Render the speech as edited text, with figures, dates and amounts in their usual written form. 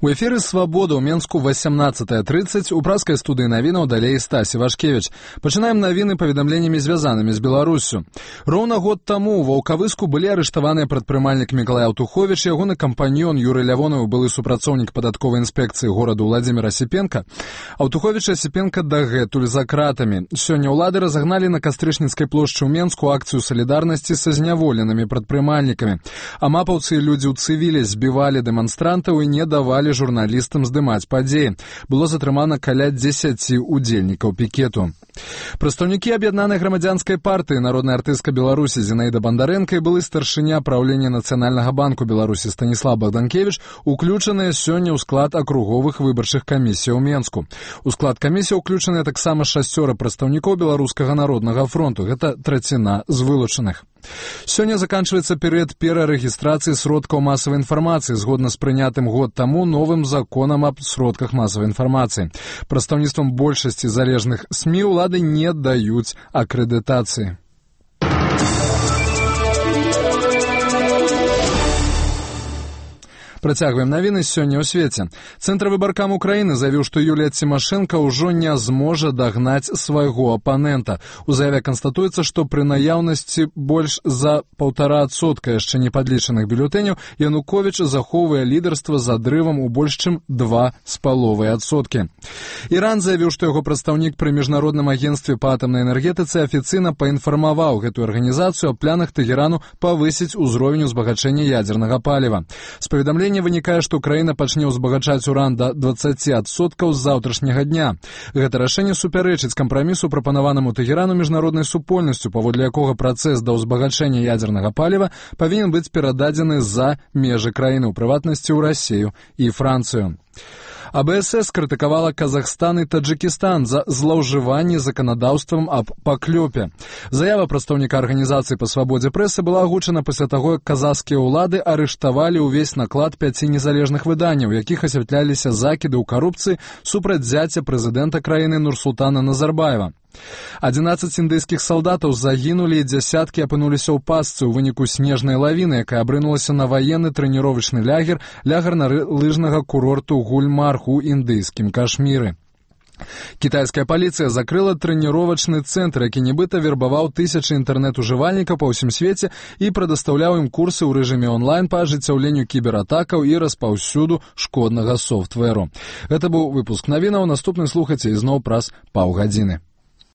У эфіры «Свабода» ў Менску 18:30 у праскай студыі навінаў далей Стасі Вашкевіч. Пачынаем навіны паведамленнямі звязанымі з Беларуссю. Роўна год таму ў Ваўкавыску былі арыштаваныя прадпрымальнік Мікалай Аўтуховіч, ягоны кампаньён Юрый Лявонаў, былы супрацоўнік падатковай інспекцыі гораду Владзімір Асіпенка. Аўтуховіч і Асіпенка дагэтуль за кратамі. Сёння ўлады разагналі на Кастрычніцкай плошчы ў Менску акцыю салідарнасці са зняволенымі прадпрымальнікамі. А мапаўцы і людзі ў цывілі збівалі дэманстрантаў і не давалі журналістам здымаць падзеі. Было затрымана каля 10 удзельнікаў пікету. Прадстаўнікі аб'яднанай грамадзянскай партыі, народная артыстка Беларусі Зінаіда Бандарэнка і былы старшыня праўлення Нацыянальнага банку Беларусі Станіслав Богданкевіч уключаныя сёння ў склад акруговых выбарчых камісій у Менску. У склад камісій уключаныя таксама 6 прадстаўнікоў Беларускага народнага фронту. Гэта траціна з вылучаных. Сёння заканчваецца перыяд перарэгістрацыі сродкаў масавай інфармацыі згодна з прынятым год таму новым законам аб сродках масавай інфармацыі. Прадстаўніцтвам большасці залежных СМІ ўлады не даюць акрэдытацыі. Працягваем навіны сёння ў свеце. Цэнтр выбаркам Украіны заявіў, што Юлія Цімашэнка ўжо не зможа дагнаць свайго апанента. У заяве канстатуецца, што пры наяўнасці больш за 1,5% яшчэ не падлічаных бюлетэняў Януковіч захоўвае лідарства з адрывам у больш чым 2,5%. Іран заявіў, што яго прадстаўнік пры міжнародным агенцтве па атамнай энергетыцы афіцыйна паінфармаваў гэтую арганізацыю аб планах Тэгерану павысіць узровень узбагачэння ядзернага паліва. З паведамлення вынікае, што краіна пачне ўзбагачаць уран да 20% з заўтрашняга дня. Гэта рашэнне супярэчыць кампрамісу, прапанаванаму Тэгерану міжнароднай супольнасцю, паводле якога працэс да ўзбагачэння ядзернага паліва павінен быць перададзены за межы краіны, у прыватнасці ў Расію і Францыю. АБСС крытыкавала Казахстан і Таджикістан за злоўжыванне заканадаўствам аб паклёпе. Заява прадстаўніка арганізацыі па свабодзе прэсы была агучана пасля таго, як казахскія ўлады арыштавалі ўвесь наклад 5 незалежных выданняў, якіх асвятляліся закіды ў карупцыі супраць зяця прэзідэнта краіны Нурсултана Назарбаева. 11 індыйскіх салдатаў загінулі і дзясяткі апынуліся ў пастцы ў выніку снежнай лавіны, якая абрынулася на ваенны трэніровачны лагер лыжнага курорту Гульмарх у індыйскім Кашміры. Кітайская паліцыя закрыла трэніровачны цэнтр, які нібыта вербаваў тысячы інтэрнэт-ужывальнікаў па ўсім свеце і прадастаўляў ім курсы ў рэжыме онлайн па ажыццяўленню кібератакаў і распаўсюду шкоднага софтвэру. Гэта быў выпуск навінаў. Наступны слухайце ізноў праз паўгадзіны.